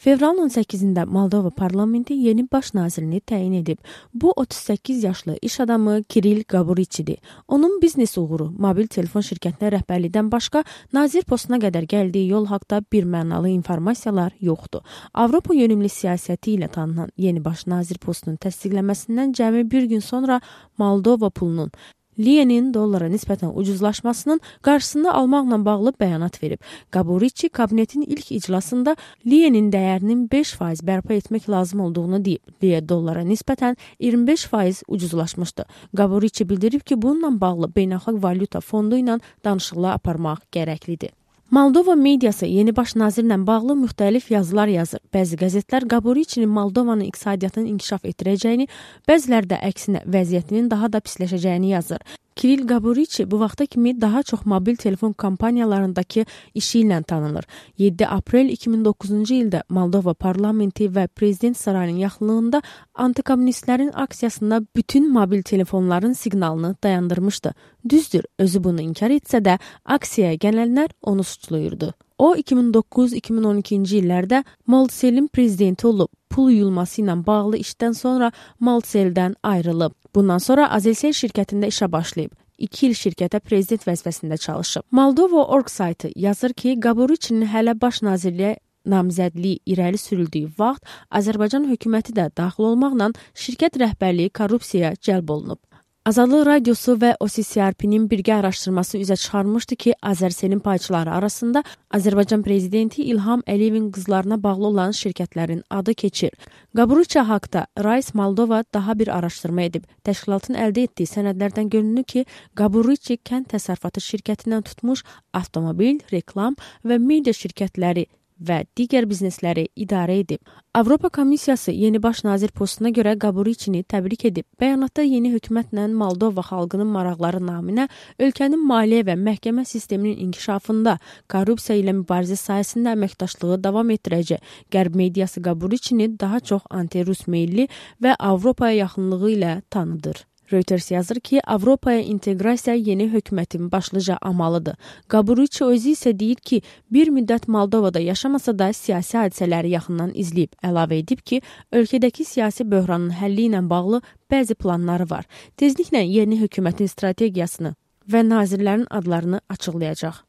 Fevralın 18-də Moldova parlamenti yeni baş nazirini təyin edib. Bu 38 yaşlı iş adamı Kiril Gaburiçidir. Onun biznes uğuru mobil telefon şirkətinə rəhbərlikdən başqa nazir postuna qədər gəldiyi yol haqda bir mənalı informasiyalar yoxdur. Avropa yönümlü siyasəti ilə tanınan yeni baş nazir postunun təsdiqlənməsindən cəmi bir gün sonra Moldova pulunun liyenin dollara nisbətən ucuzlaşmasının qarşısını almaqla bağlı bəyanat verib. Gaburiçi kabinetin ilk iclasında liyenin dəyərinin 5% bərpa etmək lazım olduğunu deyib. Liye dollara nisbətən 25% ucuzlaşmışdı. Gaburiçi bildirib ki, bununla bağlı beynəlxalq valyuta fondu ilə danışıqlar aparmaq gərəklidir. Moldova mediası yeni baş nazirlə bağlı müxtəlif yazılar yazır. Bəzi qəzetlər Gaburiçinin Moldovanın iqtisadiyyatını inkişaf etdirəcəyini, bəziləri də əksinə vəziyyətinin daha da pisləşəcəyini yazır. Kiril Gaburiçi bu vaxta kimi daha çox mobil telefon kampaniyalarındakı işi ilə tanınır. 7 aprel 2009-cu ildə Moldova parlamenti və prezident sarayının yaxınlığında antikommunistlərin aksiyasında bütün mobil telefonların siqnalını dayandırmışdı. Düzdür, özü bunu inkar etsə də aksiyaya gələnlər onu suçluyurdu. O 2009-2012-ci illərdə Moldselin prezidenti olub. Pul yuyulması ilə bağlı işdən sonra Moldseldən ayrılıb. Bundan sonra Azelsel şirkətində işə başlayıb. 2 il şirkətə prezident vəzifəsində çalışıb. Moldova.org saytı yazır ki, Gaburiçinin hələ baş nazirliyə namizədliyi irəli sürüldüyü vaxt Azərbaycan hökuməti də daxil olmaqla şirkət rəhbərliyi korrupsiyaya cəlb olunub. Azadlıq Radiosu və OCCRP-nin birgə araşdırması üzə çıxarmışdı ki, Azərselin payçıları arasında Azərbaycan prezidenti İlham Əliyevin qızlarına bağlı olan şirkətlərin adı keçir. Gaburiçi haqda Rais Moldova daha bir araşdırma edib. Təşkilatın əldə etdiyi sənədlərdən görünür ki, Gaburiçi kənd təsərrüfatı şirkətindən tutmuş avtomobil, reklam və media şirkətləri və digər biznesləri idarə edib. Avropa Komissiyası yeni baş nazir postuna görə Gaburiçini təbrik edib. Bəyanatda yeni hökumətlə Moldova xalqının maraqları naminə ölkənin maliyyə və məhkəmə sisteminin inkişafında korrupsiya ilə mübarizə sayəsində əməkdaşlığı davam etdirəcək. Qərb mediası Gaburiçini daha çox anti-Rus meyilli və Avropaya yaxınlığı ilə tanıdır. Reuters yazır ki, Avropaya inteqrasiya yeni hökumətin başlıca amalıdır. Gaburiçi özü isə deyir ki, bir müddət Moldovada yaşamasa da siyasi hadisələri yaxından izləyib. Əlavə edib ki, ölkədəki siyasi böhranın həlli ilə bağlı bəzi planları var. Tezliklə yeni hökumətin strategiyasını və nazirlərin adlarını açıqlayacaq.